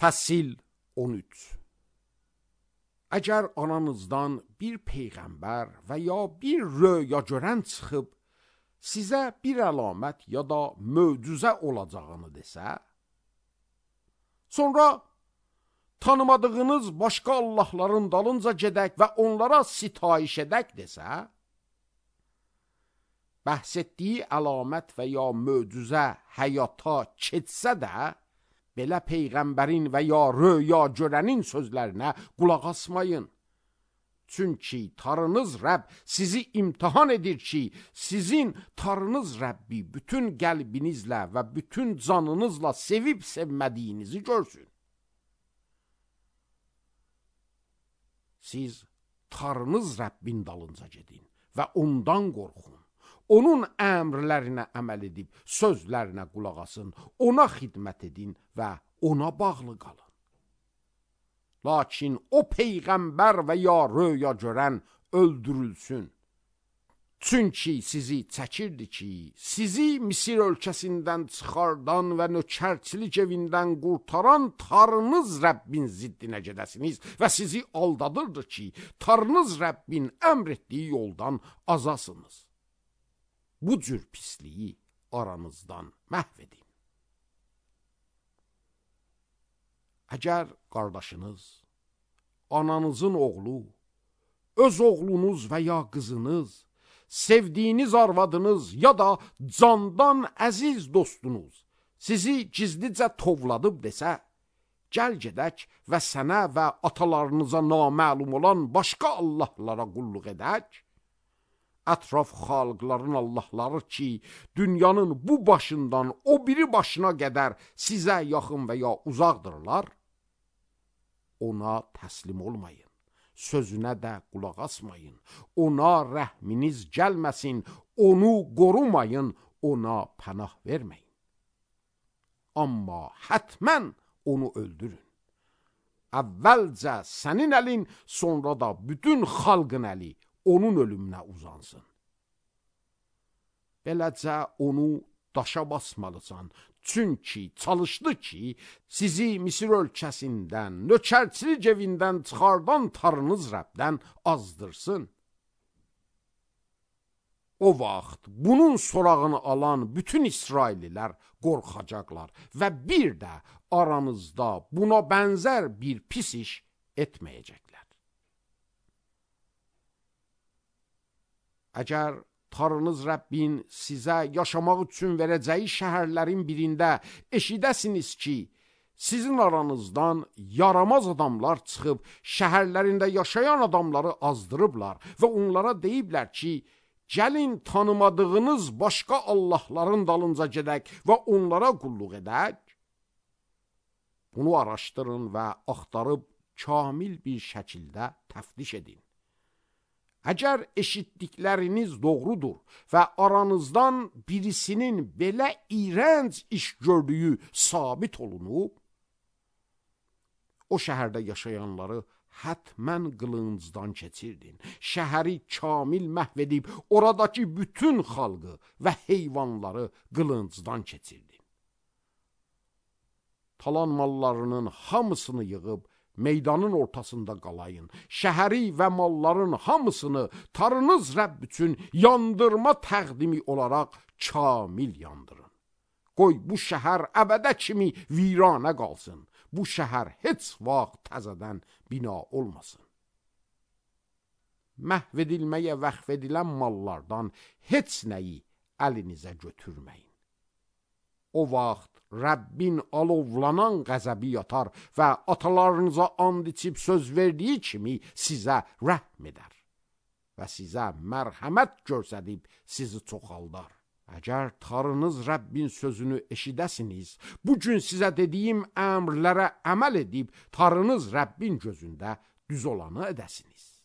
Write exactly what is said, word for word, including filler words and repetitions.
Fəsil on üç. Əgər ananızdan bir peyğəmbər və ya bir röya görən çıxıb, sizə bir əlamət ya da möcüzə olacağını desə, sonra tanımadığınız başqa Allahların dalınca gedək və onlara sitayiş edək desə, bəhs etdiyi əlamət və ya möcüzə həyata keçsə də, belə peyğəmbərin və ya röya görənin sözlərinə qulaq asmayın. Çünki Tanrınız Rəbb sizi imtihan edir ki, sizin Tanrınız Rəbbi bütün qəlbinizlə və bütün canınızla sevib sevmədiyinizi görsün. Siz Tanrınız Rəbbin dalınca gedin və ondan qorxun. Onun əmrlərinə əməl edib, sözlərinə qulaq asın, ona xidmət edin və ona bağlı qalın. Lakin o peyğəmbər və ya röya görən öldürülsün. Çünki sizi çəkirdi ki, sizi Misir ölkəsindən çıxardan və nökərçilik evindən qurtaran Tanrınız Rəbbin ziddinə gedəsiniz və sizi aldadırdı ki, Tanrınız Rəbbin əmr etdiyi yoldan azasınız. Bu cür pisliyi aranızdan məhv edin. Əgər qardaşınız, ananızın oğlu, öz oğlunuz və ya qızınız, sevdiyiniz arvadınız ya da candan əziz dostunuz sizi gizlicə tovladıb desə, gəl gedək və sənə və atalarınıza naməlum olan başqa Allahlara qulluq edək, ətraf xalqların Allahları ki, dünyanın bu başından o biri başına qədər sizə yaxın və ya uzaqdırlar, ona təslim olmayın, sözünə də qulaq asmayın, ona rəhminiz gəlməsin, onu qorumayın, ona pənah verməyin. Amma hətmən onu öldürün. Əvvəlcə sənin əlin, sonra da bütün xalqın əli onun ölümünə uzansın. Beləcə onu daşa basmalısan, çünki çalışdı ki, sizi Misir ölkəsindən, nökərçilik evindən çıxardan Tanrınız Rəbdən azdırsın. O vaxt bunun sorağını alan bütün İsraillilər qorxacaqlar və bir də aranızda buna bənzər bir pis iş etməyəcəklər. Əgər Tanrınız Rəbbin sizə yaşamaq üçün verəcəyi şəhərlərin birində eşidəsiniz ki, sizin aranızdan yaramaz adamlar çıxıb şəhərlərində yaşayan adamları azdırıblar və onlara deyiblər ki, gəlin tanımadığınız başqa Allahların dalınca gedək və onlara qulluq edək. Bunu araşdırın və axtarıb kamil bir şəkildə təftiş edin. Əgər eşitdikləriniz doğrudur və aranızdan birisinin belə iyrənc iş gördüyü sabit olunub, o şəhərdə yaşayanları hətmən qılıncdan keçirdin. Şəhəri kamil məhv edib, oradakı bütün xalqı və heyvanları qılıncdan keçirdin. Talan mallarının hamısını yığıb, meydanın ortasında qalayın. Şəhəri və malların hamısını Tanrınız Rəbb üçün yandırma təqdimi olaraq kamil yandırın. Qoy bu şəhər əbədə kimi viranə qalsın. Bu şəhər heç vaxt təzədən bina olmasın. Məhv edilməyə vəqf edilən mallardan heç nəyi əlinizə götürməyin. O vaxt Rəbbin alovlanan qəzəbi yatar və atalarınıza and içib söz verdiyi kimi sizə rəhm edər və sizə mərhəmət göstərib sizi çoxaldar. Əgər Tanrınız Rəbbin sözünü eşidəsiniz, bugün sizə dediyim əmrlərə əməl edib Tanrınız Rəbbin gözündə düz olanı edəsiniz.